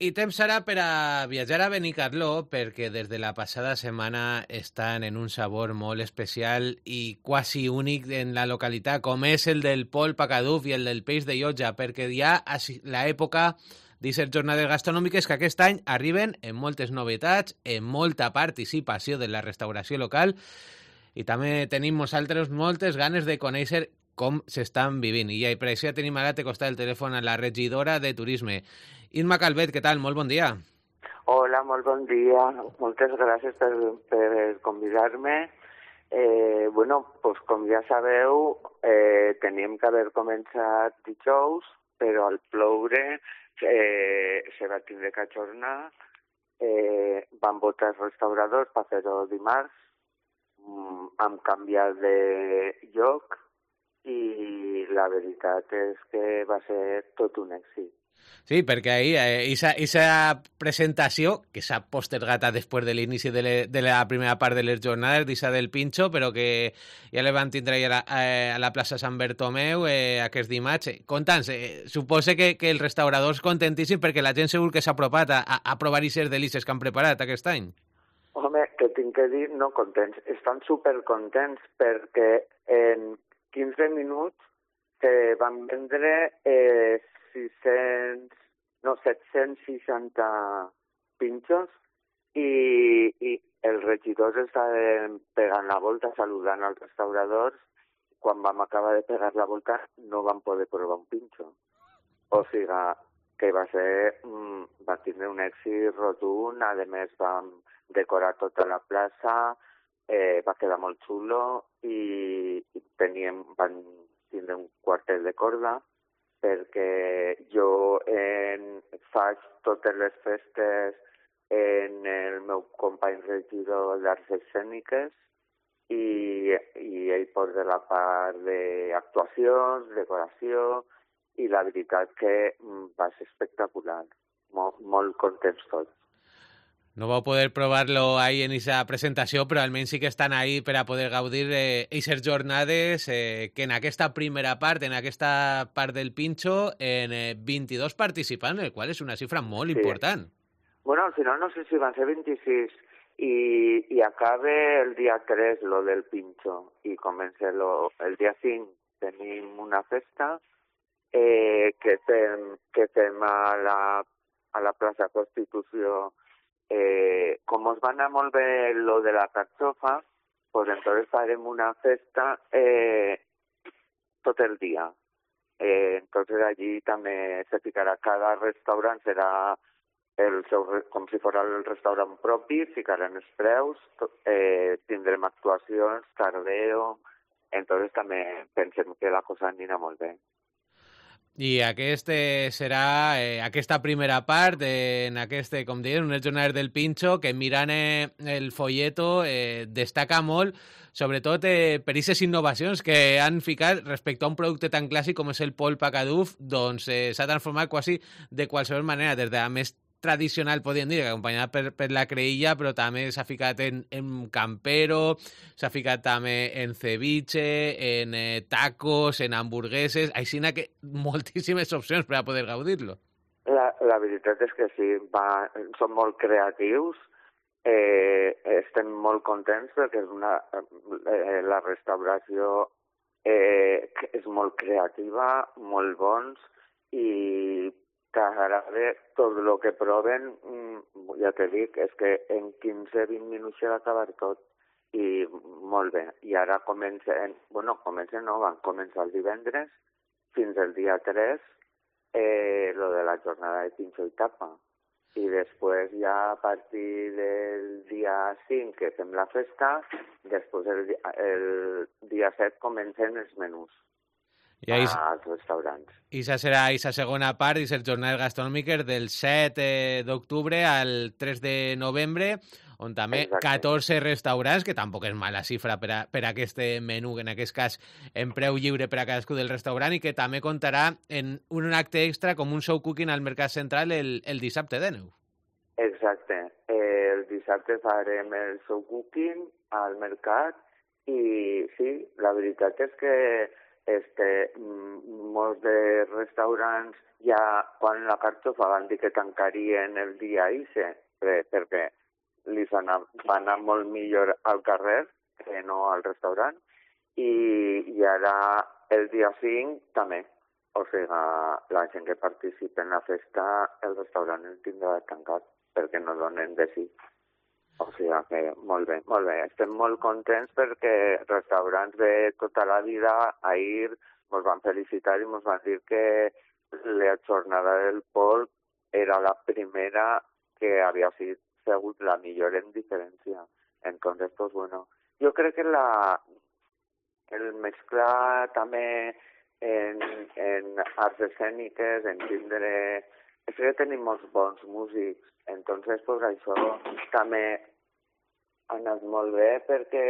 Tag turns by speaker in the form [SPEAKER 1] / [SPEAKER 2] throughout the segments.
[SPEAKER 1] I temps serà per a viatjar a Benicarló perquè des de la passada setmana estan en un sabor molt especial i quasi únic en la localitat, com és el del polp a Caduf i el del peix de Llotja, perquè ja a l'època d'aquestes jornades gastronòmiques que aquest any arriben amb moltes novetats, amb molta participació de la restauració local i també tenim nosaltres moltes ganes de conèixer com s'estan vivint. I per això tenim ara a costat del telèfon a la regidora de Turisme, Imma Calvet. Què tal? Molt bon dia.
[SPEAKER 2] Hola, molt bon dia. Moltes gràcies per convidar-me. Pues com ja sabeu, teníem que haver començat dijous, però al ploure se va tindre que ajornar. Van votar els restauradors per fer-ho dimarts. Hem canviat de lloc i la veritat és que va ser tot un èxit.
[SPEAKER 1] Sí, perquè ahir aquesta presentació, que s'ha postergat després de l'inici de la primera part de les jornades, d'Issa del Pinxo, però que ja la van tindre a la plaça Sant Bertomeu aquest dimarts. Conta'ns, suposa que els restauradors contentíssims perquè la gent segur que s'ha apropat a provar aquestes delícies que han preparat aquest any.
[SPEAKER 2] Home, que tinc que dir, no contents, estan supercontents perquè en 15 minuts van vendre 760 pinxos i els regidors estaven pegant la volta, saludant als restauradors. Quan vam acabar de pegar la volta no vam poder provar un pinxo. O sigui que va tindre un èxit rotund. A més vam decorar tota la plaça, va quedar molt xulo i van tindre un quartet de corda perquè jo faig totes les festes en el meu company regidor d'Arts Escèniques i ell porta la part d'actuacions, decoració i la veritat que va ser espectacular. Molt contents tots.
[SPEAKER 1] No vau poder provar-lo ahí en esa presentació, però almenys sí que estan ahí per a poder gaudir d'aquestes jornades que en aquesta primera part, en aquesta part del Pinxo, en 22 participants, el qual és una xifra molt important.
[SPEAKER 2] Bueno, al final no sé si van ser 26 i acaba el dia 3 lo del Pinxo i comença el dia 5 tenim una festa que fem a la plaça Constitució. Com us va anar molt bé lo de la carxofa, pues entonces farem una festa tot el dia. Entonces allí també se ficarà, cada restaurant serà com si fos el restaurant propi, ficaran els preus, tindrem actuacions, tardeo, entonces també pensem que la cosa anirà molt bé.
[SPEAKER 1] I aquest serà aquesta primera part en com diem, unes jornades del Pinxo que mirant el folleto destaca molt, sobretot per aquestes innovacions que han ficat respecte a un producte tan clàssic com és el polp a Caduf, doncs s'ha transformat quasi de qualsevol manera, des de la més tradicional, podríem dir, acompanyada per la creïlla, però també s'ha ficat en campero, s'ha ficat també en ceviche, en tacos, en hamburgueses, així que moltíssimes opcions per a poder gaudir-lo.
[SPEAKER 2] La veritat és que sí, són molt creatius, estem molt contents perquè la restauració és molt creativa, molt bons i t'agrada tot el que proven, ja te dic, és que en 15-20 minuts s'ha d'acabar tot i molt bé. I ara van començar el divendres fins al dia 3 lo de la jornada de Pinxo i tapa. I després ja a partir del dia 5 que fem la festa, després el dia 7 comencen els menús als restaurants.
[SPEAKER 1] I això serà la segona part de les jornades gastronòmiques del 7 d'octubre al 3 de novembre, on també 14 restaurants, que tampoc és mala xifra per a aquest menú, en aquest cas en preu lliure per a cadascú del restaurant, i que també comptarà en un acte extra com un show cooking al Mercat Central el dissabte de neu.
[SPEAKER 2] Exacte. El dissabte farem el show cooking al mercat i sí, la veritat és que molts de restaurants ja quan la carxofa van dir que tancarien el dia ixe, perquè li va anar molt millor al carrer que no al restaurant, i ara el dia 5 també. O sigui, la gent que participa en la festa, el restaurant el tindrà tancat perquè no donen de sí. O sigui que molt bé, molt bé. Estem molt contents perquè restaurants de tota la vida ahir ens van felicitar i ens van dir que la jornada del polp era la primera que havia sigut la millor en diferència. Entonces, pues bueno, jo crec que el mesclar també en arts escèniques, en tindre... És que tenim molts bons músics, entonces pues això també ha anat molt bé perquè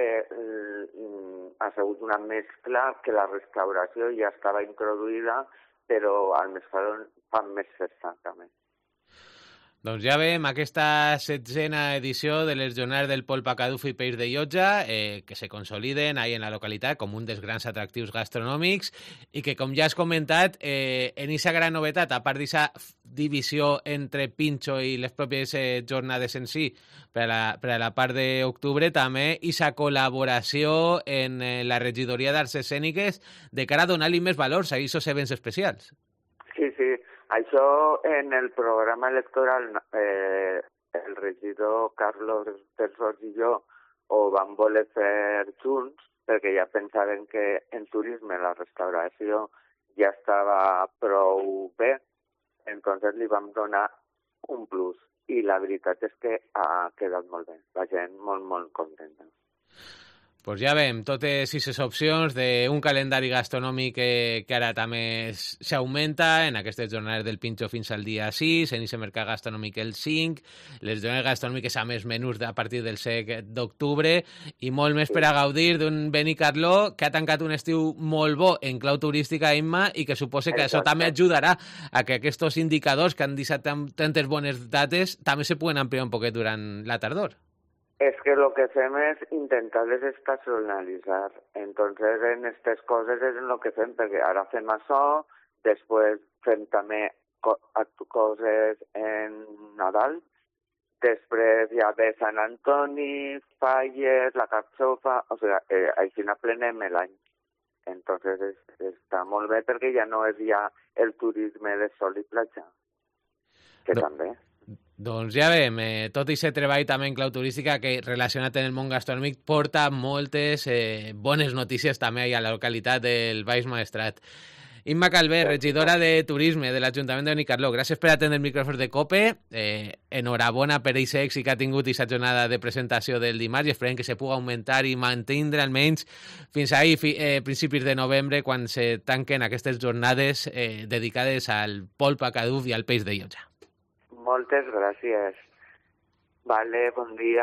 [SPEAKER 2] ha sigut una mescla que la restauració ja estava introduïda, però al mesclar fan més festa també.
[SPEAKER 1] Doncs ja veiem aquesta 16a edició de les Jornades del Polp a Caduf i Peix de Llotja, que se consoliden ahí en la localitat com un dels grans atractius gastronòmics i que, com ja has comentat, en aquesta gran novetat, a part d'aquesta divisió entre Pinxo i les pròpies jornades en si, per a la part d'octubre, també aquesta col·laboració en la regidoria d'Arts Escèniques de cara a donar-li més valors a aquests events especials.
[SPEAKER 2] Sí, sí. Això en el programa electoral el regidor Carlos Terços i jo ho vam voler fer junts perquè ja pensaven que en turisme la restauració ja estava prou bé, entonces li vam donar un plus i la veritat és que ha quedat molt bé, la gent molt, molt contenta.
[SPEAKER 1] Pues ja veiem totes aquestes opcions d'un calendari gastronòmic que ara també s'augmenta en aquestes jornades del Pinxo fins al dia 6, en aquest mercat gastronòmic el 5, les jornades gastronòmiques a més menús a partir del 7 d'octubre i molt més per a gaudir d'un Benicarló que ha tancat un estiu molt bo en clau turística, Imma, i que suposa que això també ajudarà a que aquests indicadors que han deixat tantes bones dates també se puguen ampliar un poquet durant la tardor.
[SPEAKER 2] És que el que fem és intentar desestacionalitzar. Entonces, en aquestes coses és el que fem, perquè ara fem això, després fem també coses en Nadal, després ja ve Sant Antoni, Falles, la Carxofa, o sigui, així n'aprenem l'any. Entonces, està molt bé perquè ja no és ja el turisme de sol i platja, que també.
[SPEAKER 1] Doncs ja veiem, tot i ser treball també en clau turística que relacionat amb el món gastronòmic porta moltes bones notícies també a la localitat del Baix Maestrat. Imma Calvé, regidora de Turisme de l'Ajuntament de Benicarló, gràcies per atendre el micròfon de COPE, enhorabona per aquest èxit que ha tingut aquesta jornada de presentació del dimarts i esperem que se pugui augmentar i mantenir almenys fins ahir, principis de novembre, quan se tanquen aquestes jornades dedicades al polp a Caduf i al peix de Llotja.
[SPEAKER 2] Moltes gràcies. Vale, bon dia.